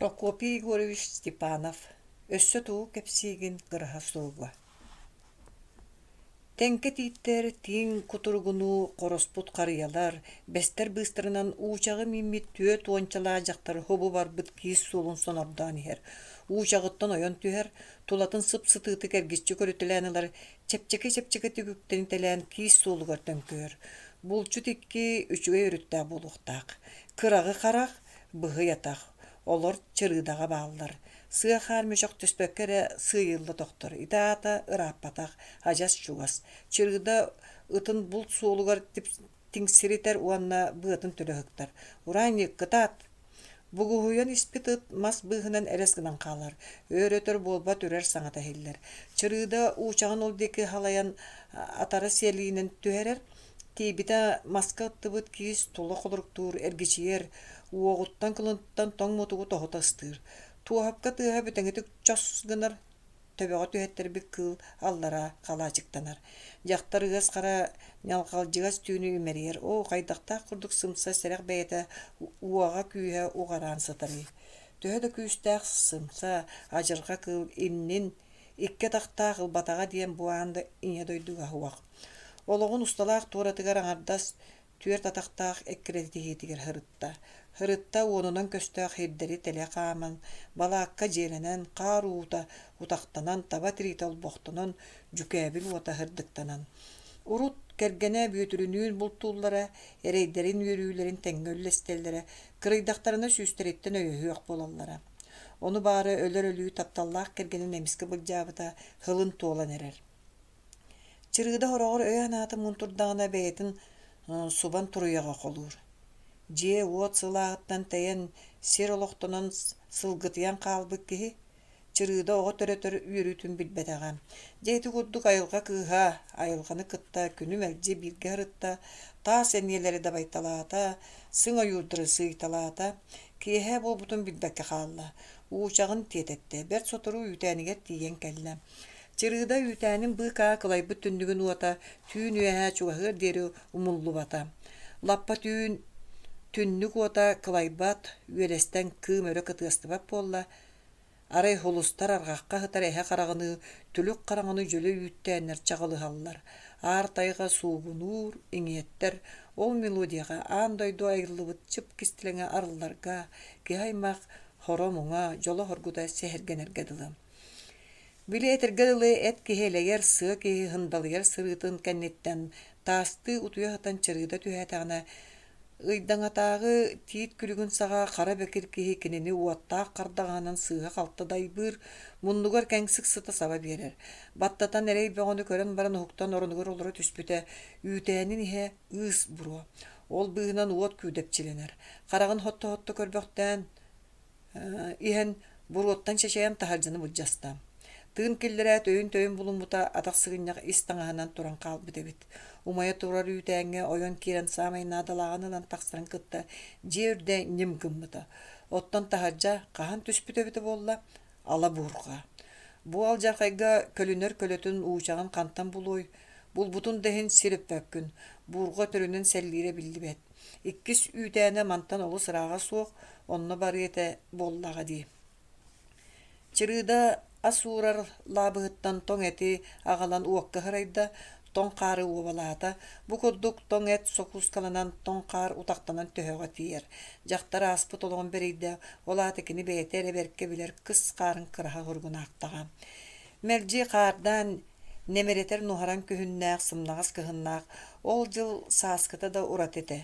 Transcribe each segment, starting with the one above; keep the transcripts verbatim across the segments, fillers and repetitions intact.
Прокопий Егорович Степанов «Өссө тугу кэпсиигин кыраһа суруга» Тэҥкэ тииттэр тииҥ кутуругунуу хороспут харыйалар, бэстэр быыстарынан уучаҕы мииммит түөрт уончалаах дьахтар хобу барбыт киис суолун сонордоон иһэр. Уучаҕыттан ойон түһэр, тулатын сып-сытыытык эргиччи көрүтэлээн ылар, чэпчэки-чэпчэкитик үктэнитэлээн киис суолугар төҥкөйөр. Булчут икки үчүгэй өрүттээх буолуохтаах: кыраҕы харах, быһый атах. Олор чырыыдаҕа бааллар. Сыа хаар мөчөхтөспөккө эрэ сыыйылла тохтор, ити аата ырааппатах, адьас чугас. Чырыыда ытын булт суолугар тиҥсиритэр уонна быатын төлө ыһыктар. «Ураанньык, кытаат!» Бугуһуйан испит ыт мас быыһынан элэс гынан хаалар, өөр-өтөр буолбат үрэр саҥата иһиллэр. Чырыыда уучаҕын ол диэки халайан атара сиэлиинэн түһэрэр, тиийбитэ маска ыттыбыт киис тула холоруктуур, эргичийэр, уоҕуттан кылыттан тоҥ мутугу тоһута ыстыыр. Туоһапка тыаһа бүтэҥитик чос гынар, төбөҕө түһэттэрбит кыыл аллара халаачыктанар. Дьахтар ыас хара ньалҕалдьыгас түүнү имэрийэр, оо, хайдахтаах курдук сымса сэрэх бэйэтэ уоҕа-күүһэ уҕараан сытарый. Төһө да күүстээх сымса, адьырҕа кыыл иннин икки атахтаах ылбатаҕа диэн бу аан ийэ дойдуга уһуох. Олоҕун усталаах туоратыгар аҥардас түөрт атахтаах эккирэтиһиитигэр сырытта. Сырытта уонунан көстөөх сирдэри тэлэ хааман, балаакка дьиэлэнэн, хаар уута утахтанан, таба тириитэ олбохтонон, дьүкээбил уота сырдыктанан. Урут кэргэнэ Бүөтүрүнүүн бултууллара, эрэйдэрин үөрүүлэрин тэҥҥэ үллэстэллэрэ, кырыйдахтарына сүүстэриттэн өйөһүөх буолаллара. Ону баара өлөр өлүү тапталлаах кэргэнин эмискэ былдьаабыта сылын туолан эрэр. Чырыыда хороҕор өйө-санаата муунтурдаҕына бэйэтин субан туруйаҕа холуур. Дьиэ-уот сылааһыттан тэйэн, сир олохтонон сылгытыйан хаалбыт киһи Чырыыда оҕо төрөтөр үөрүүтүн билбэтэҕэ. Дьэ ити курдук айылҕа кыыһа айылҕаны кытта күнү мэлдьи бииргэ сырытта, таас эниэлэри дабайталаата, сыҥ ойуурдары сыыйталаата, киэһэ буолбутун билбэккэ хаалла. Уучаҕын тиэтэттэ, бэрт сотору үүтээнигэр тиийэн кэллэ. Чырыыда үүтээнин быыкаа кылайбыт түннүгүн уота түүн үөһэ чугаһыар диэри умуллубата. Лаппа түүн түннүк уота кылайбат, үөлэстэн кыым өрө кытыастыбат буолла, Арай холустар арҕахха сытар эһэ хараҕыныы түлүк хараҥаны дьөлө үүттээннэр чаҕылыһаллар, аар тайҕа суугунуур, иҥиэттэр, ол мелодияҕа аан дойду айыллыбыт чып кистэлэҥэ арылларга, киһи аймах хоро-муҥа, дьоло-хоргута сэһэргэнэргэ дылы. Били этэргэ дылы эт киһи элэйэр, сыа киһи сындалыйар сырыытын кэнниттэн таастыы утуйа сытан чырыыда түһээтэҕинэ Ыйдаҥатааҕы тиит күлүгүн саҕа хара бэкир киһи кинини уоттаах хардаҕаһынан сыыһа-халты дайбыыр, муннугар кэҥсик сыта саба биэрэр. Баттатан эрэй бөҕөнү көрөн баран уһуктан оронугар олоро түспүтэ, үүтээнин иһэ ыыс буруо. Ол быыһынан уот күүдэпчилэнэр. Хараҕын хотто-хотто көрбөхтөөн иһэн буруоттан чэчэйэн таһырдьаны былдьаста. Тыын киллэрээт өйүн-төйүн булуммута атах сыгынньах ис таҥаһынан туран хаалбыт эбит. Умайа турар үүтээҥҥэ ойон киирэн саамай наадалааҕын ылан тахсарын кытта дьиэ үрдэ ньим гыммыта. Оттон таһырдьа хаһан түспүт эбитэ буолла, ала буурҕа. Бу алдьархайга көлүнэр көлөтүн уучаҕын хантан булуой, булбутун да иһин сир өппөккүн, буурҕа төрүнэн сэллиирэ биллибэт. Иккис үүтээнэ мантан олус ырааҕа суох, онно барыа этэ буоллаҕа дии. Чырыыда ас уурар лаабыһыттан тоҥ эти аҕалан уокка һырайда, тоҥ хаары уобалаата. Бу курдук тоҥ эт сокуускаланан, тоҥ хаар утахтанан төһөҕө тиийэр. Дьахтар ааспыт олоҕун бэрийдэ, ол аата кини бэйэтэ эрэ бэркэ билэр кыс хаарын кыраһа хоругунаахтаҕа. Мэлдьи хаардаан нэмирэтэр нуһараҥ күһүннээх, сымнаҕас кыһыннаах, ол дьыл сааскыта да ураты этэ.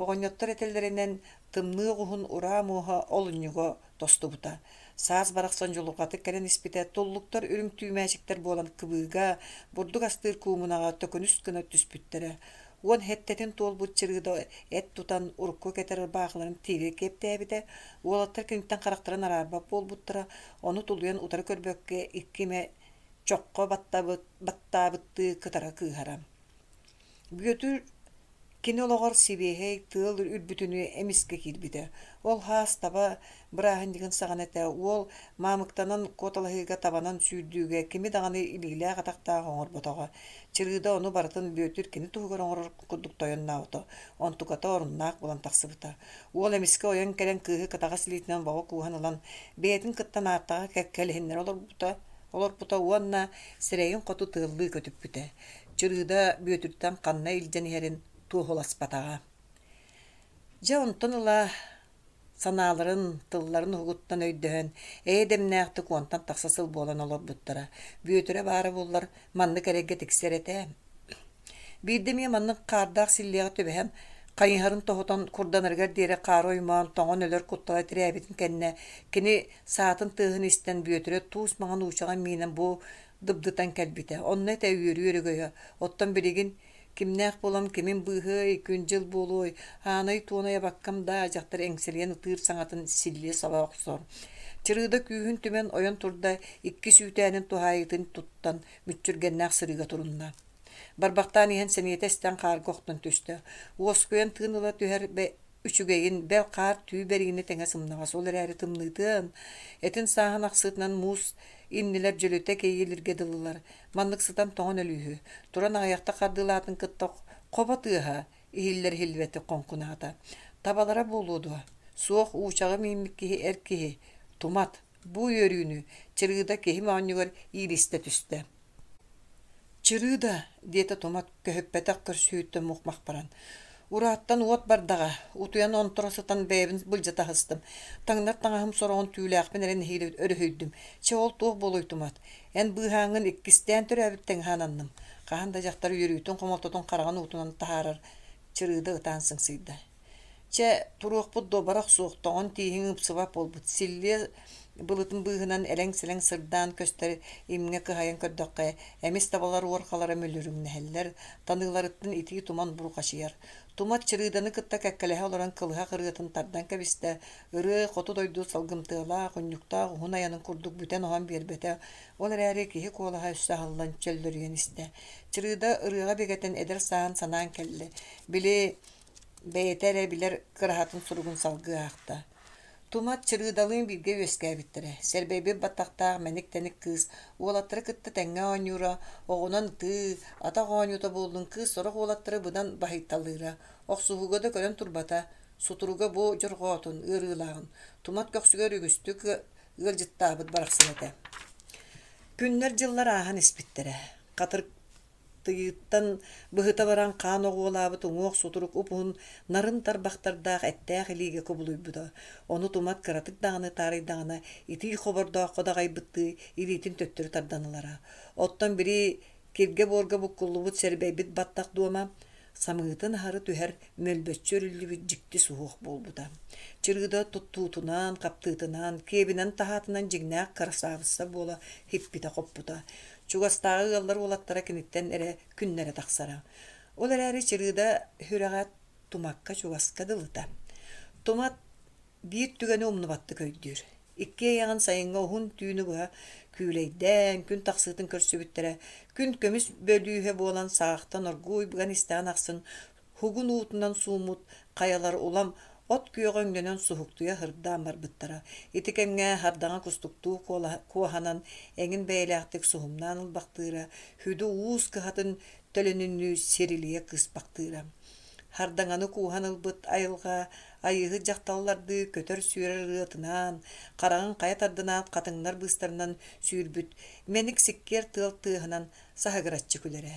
Оҕонньоттор этэллэринэн, тымныы оҕуһун ураа муоһа олунньуга тостубута. Саас барахсан дьулурҕатык кэлэн испитэ, туллуктар үрүҥ түүмээчиктэр буолан кыбыыга, бурдук астыыр куумунаҕа төкүнүс гына түспүттэрэ. Уон сэттэтин туолбут чырыыда эт тутан урукку кэтэр ырбаахыларын тиирэ киэптээбитэ, уолаттар киниттэн харахтарын араарбат буолбуттара, ону тулуйан утары көрбөккө икки эмэ чоххо баттаабыт, баттаабыттыы кытара кыыһара. Бүөтүр Кини олоҕор сибиэһэй тыал үрбүтүнүү эмискэ киирбитэ. Ол хаас таба бырааһынньыгын саҕана этэ, уол маамыктанан куоталаһыыга табанан сүүрдүүгэ кими даҕаны илиилээх-атахтаах оҥорботоҕо. Чырыыда ону барытын Бүөтүр кини туһугар оҥорор курдук тойоннообута, онтуката оруннаах буолан тахсыбыта. Уол эмискэ ойон кэлэн кыыһы кытаҕас илиитинэн боҕо кууһан ылан, бэйэтин кытта наартаҕа кэккэлэһиннэрэ олорбута, олорпута уонна сирэйин хоту тыаллыы көтүппүтэ. Чырыыда Бүөтүртэн ханна илдьэн иһэрин туоһуласпатаҕа. Дьэ онтон ыла санааларын, тылларын уһугуттан өйдөһөн, эйэ дэмнээхтик уонтан тахса сыл буолан олорбуттара. Бүөтүрэ баара буоллар, маннык эрэйгэ тиксэр этэ. Биирдэ эмиэ маннык хаардаах силлиэҕэ түбэһэн, хайыһарын тоһутан курданарыгар диэри хаары оймоон, тоҥон өлөр куттала тирээбитин кэннэ, кини саатын тыаһын истэн Бүөтүрэ туус маҥан уучаҕын миинэн бу дыбдытан кэлбитэ. Онно этэ үөрүү өрөгөйө. Оттон билигин кимнээх буолан кимин быыһыай, күн-дьыл буолуой, аанай-туонай абаккам даа дьахтар эҥсэлийэн ытыыр саҥатын силлиэ саба охсор. Чырыыда күүһүн түмэн ойон турда, иккис үүтээнин туһаайыытын туттан мүччүргэннээх сырыыга турунна. Барбахтаан иһэн сэниэтэ эстэн хаарга охтон түстэ. Уоскуйан тыын ыла түһэр үчүгэйин, бэл хаар түү бэриини тэҥэ сымнаҕас, ол эрээри тымныытын, этин сааһын ахсыытынан муус иннилэр дьөлүтэ кэйиэлиргэ дылылар. Маннык сытан тоҥон өлүүһү. Туран аҕыйахта хардыылаатын кытта хобо тыаһа иһиллэр иһиллибэтик хоҥкунаата. Табалара буолуо дуо? Суох, уучаҕы мииммит киһи эр киһи. Тумат. Бу үөрүүнү Чырыыда киһи моонньугар иилистэ түстэ. «Чырыыда!» диэтэ Тумат көһүппэтэх көрсүһүүттэн мух-мах баран. «Урааттан уот бардаҕа, утуйан онторо сытан бэйэбин былдьата аһыстым. Таҥнар таҥаһым сороҕун түүлээхпин эрэ нэһиилэ өрүһүйдүм. Чэ, ол туох буолуой Тумат? Эн быыһааҥҥын иккистээн төрөөбүт тэҥ хаананным». Хаһан да дьахтар үөрүүтүн-хомолтотун хараҕын уутунан таһаарар Чырыыда ытаан сыҥсыйда. Чэ, туруохпут дуо бара охсуох, тоҥон тииһиҥ ыпсыбат буолбут, силлиэ былытын быыһынан элэҥ-сэлэҥ сырдаан көстөр имҥэ кыһайан көрдөххө, эмис табалар уорҕалара мүлүрүҥнэһэллэр, таныыларыттан итии туман бурҕачыйар. Тумат Чырыыданы кытта кэккэлэһэ олорон кылыһах ырыатын тардан кэбистэ, ырыа хоту дойду салгымтыалаах, унньуктаах уһун айанын курдук бүтэн-оһон биэрбэтэ, ол эрээри киһи куолаһа өссө аһыллан чөллөрүйэн истэ. Чырыыда ырыаҕа бигэтэн эдэр сааһын санаан кэллэ, били бэйэтэ эрэ билэр кыраһатын суругун салгыы аахта. Тумат Чырыыдалыын бииргэ үөскээбиттэрэ. Сэрбэйбит баттахтаах мэник-тэник кыыс уолаттары кытта тэҥҥэ оонньуура, оҕунан ытыы, атах оонньуута буоллун кыыс сорох уолаттары быдан баһыйталыыра. Охсуһууга да көрөн турбата, сутуруга бу дьорҕоотун, ыарыылааҕын Тумат көхсүгэр үгүстүк ыалдьыттаабыт барахсан этэ. Күннэр-дьыллар ааһан испиттэрэ. Хатырык Тыйыттан быһыта баран хаан оҕуолаабыт уҥуох сутурук уп-уһун нарын тарбахтардаах эттээх илиигэ кубулуйбута. Ону Тумат кыратык даҕаны таарыйдаҕына итии хобордооххо даҕайбыттыы илиитин төттөрү тардан ылара. Оттон били киргэ-буорга буккуллубут сэрбэйбит баттах дуома самыытын аһары түһэр мөлбөччү өрүллүбүт дьикти суһуох буолбута. Чырыыда туттуутунан, хаптыытынан, киэбинэн таһаатынан дьиҥнээх кырасаабысса буола хиппитэ-хоппута. Чугастааҕы ыаллар уолаттара киниттэн эрэ күннэрэ тахсара. Ол эрээри Чырыыда сүрэҕэ Тумакка чугаска дылыта. Тумат биир түгэни умнубаттык өйдүүр. Икки айаҕын сайыҥҥы уһун түүнү быһа күүлэйдээн, күн тахсыытын көрсүбүттэрэ. Күн көмүс бөлүүһэ буолан саҕахтан оргууй быган истэҕин ахсын Һугун уутунан сууммут хайалар улам от күөҕэ өҥнөнөн суһуктуйа сырдаан барбыттара. Ити кэмҥэ хардаҥа кустуктуу куоһанан эҥин бэйэлээхтик суһумнаан ылбахтыыра, сүдү уус кыһатын төлөнүнүү сирилийэ кыыспахтыыра. Хардаҥаны кууһан ылбыт айылҕа айыыһыт дьахталлардыы көтөр-сүүрэр ырыатынаан, хараҕын хайа тардынаат хатыҥнар быыстарынан сүүрбүт мэник сиккиэр тыал тыаһынан саһыгыраччы күлэрэ.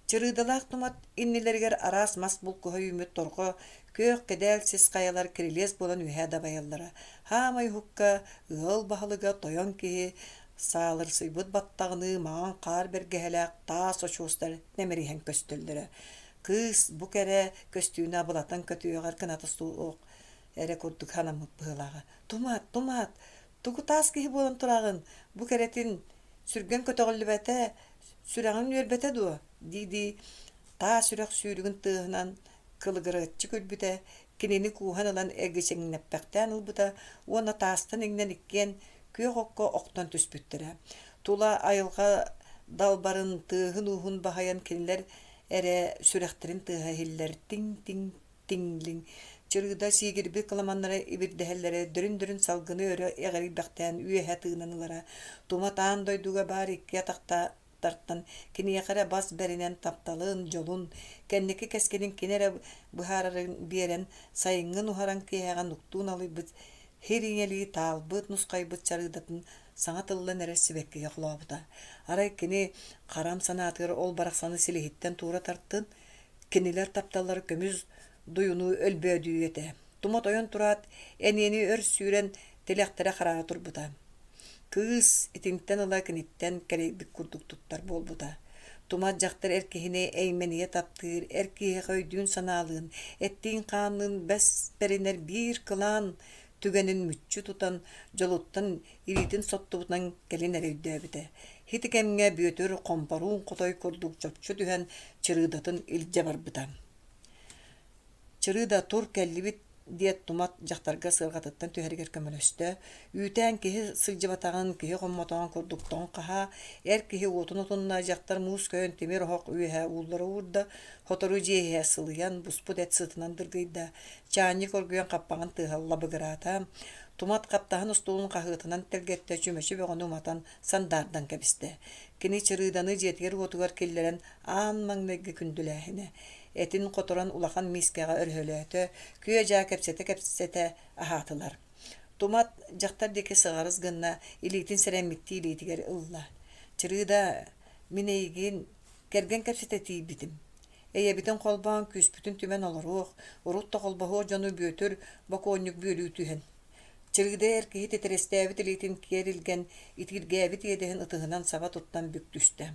Чырыыдалаах тумат иннилэригэр араас мас булкуһа үүммүт торҕо күөх кэдээл сис хайалар кирилиэс буолан үөһэ дабайаллара. Хаамай уһукка ыал баһылыга тойон киһи саалырсыйбыт баттаҕыныы маҥан хаар бэргэһэлээх таас очуостар нэмириһэн көстөллөрө. Кыыс бу кэрэ көстүүнү абылатан көтүөҕэр кыната суох эрэ курдук санаммыт быһыылааҕа. «Тумат, тумат, тугу таас киһи буолан тураҕын? Бу кэрэтин сүргэҥ көтөҕүллүбэтэ, сүрэҕиҥ үөрбэтэ дуо?» дии-дии таас үрэх сүүрүгүн тыаһынан кылыгыраччы күлбүтэ, кинини кууһан ылан эргичиҥнэппэхтээн ылбыта уонна таастан иҥнэн иккиэн күөх окко охтон түспүттэрэ. Тула айылҕа далбарын, тыаһын-ууһун баһыйан кинилэр эрэ сүрэхтэрин тыаһа иһиллэр тиҥ-тиҥ тиҥлиҥ Чырыыда сиигирбит кыламаннара ибирдэһэллэрэ, дөрүн-дөрүн салгыны өрө эҕирийбэхтээн үөһэ тыынан ылара. Тумат аан дойдуга баар икки атахтартан киниэхэ эрэ бас бэринэн тапталын, дьолун, кэнники кэскилин кини эрэ быһаарарын биэрэн, сайыҥҥы нуһараҥ киэһэҕэ нуктуу налыйбыт һир ийэлии таалбыт, нусхайбыт чарыыдатын саҥа тыллан эрэр сибэккигэ холообута. Арай кини харам санаатыгар ол барахсаны силиһиттэн туура тартын, кинилэр тапталлара көмүс дуйунуу өлбөөдүйүө этэ. Тумат ойон тураат, эниэни өр сүүрэн тилэхтэрэ хараара турбута. Кыыс итинтэн ыла киниттэн кэлэйбит курдук туттар буолбута. Тумат дьахтар эр киһини эймэнийэ таптыыр, эр киһиэхэ өйдүүн-санаалыын, эттиин-хаанныын бэс бэринэр биир кылаан түгэнин мүччү тутан, дьолуттан илиитин соттубутунан кэлин эрэ өйдөөбүтэ. Ити кэмҥэ Бүөтүр хомпоруун хотой курдук чопчу түһэн чырыыдатын илдьэ барбыта. Чырыыда тур кэллибит диэт Тумат дьахтарга сыарҕатыттан түһэригэр көмөлөстө. Үүтээн киһи сылдьыбатаҕын, киһи хоммотоҕун курдук тоҥ хаһаа, эр киһи уотун отунна, дьахтар муус көйөн тимир оһох үөһэ ууллара уурда, сотору дьиэ иһэ сылыйан, буспут эт сытынан дыргыйда, чаанньык оргуйан хаппаҕын тыаһа лабыгыраата. Тумат хаптаһын остуолун хаһыатынан тэлгэттэ, чүмэчи бөҕөнү уматан сандаардан кэбистэ. Кини Чырыыданы дьиэтигэр-уотугар киллэрэн аан маҥнайгы күндүлээһинэ. Этин хоторон улахан миискэҕэ өрөһөлөөтө, күө-дьаа кэпсэтэ-кэпсэтэ аһаатылар. Тумат дьахтар диэки сыҕарыс гынна, илиитин сэрэммиттии илиитигэр ылла. «Чырыыда, мин эйигин кэргэн кэпсэтэ тиийбитим. Эйэбитин холбоон, күүспүтүн түмэн олоруох, урут да холбоһуох дьону Бүөтүр бокуонньук бүөлүү түһэн Чырыыда эр киһи титирэстээбит илиитин киэр илгэн, итииргээбит иэдэһин ытыһынан саба туттан бүк түстэ.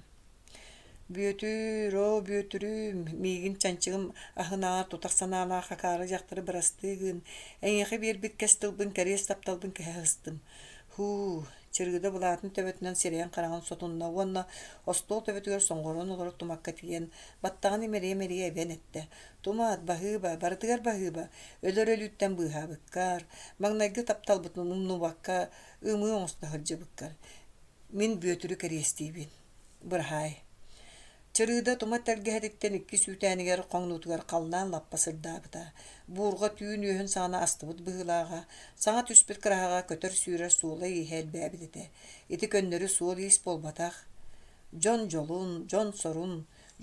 Бүөтүр, оо, Бүөтүрүм, миигин чанчыгым аһынааҕар тутах санаалаах акаары дьахтары бырастыы гын, эйиэхэ биэрбит кэс тылбын кэриэс тапталбын кэһэ сыстым. Һуу, Чырыыда былаатын төбөтүнэн сирэйин-хараҕын сотунна уонна остуол төбөтүгэр соҥҕорон олорор тумакка тиийэн, баттаҕын имэрийэ-имэрийэ эбэн эттэ: «Тумат, баһыыба, барытыгар баһыыба, өлөр өлүүттэн быыһаабыккар, маҥнайгы тапталбытын умнубакка ымыы оҥосто сылдьыбыккар. Мин Бүөтүрү кэриэстиибин. Быраһаай». Чырыыда тумат тэлгэһэтиттэн иккис үүтээнигэр хоҥнуутугар халлаан лаппа сырдаабыта. Буурҕа түүн үөһүн саҕана астыбыт быһыылааҕа, саҥа түспүт кыраһаҕа көтөр-сүүрэр суола-ииһэ элбээбит этэ. Ити көннөрү суол-иис буолбатах. Дьон дьолун, дьон сорун,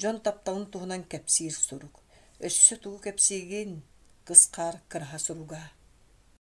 дьон тапталын туһунан кэпсиир сурук. Өссө тугу кэпсиигин? Кыс хаар кыраһа суруга.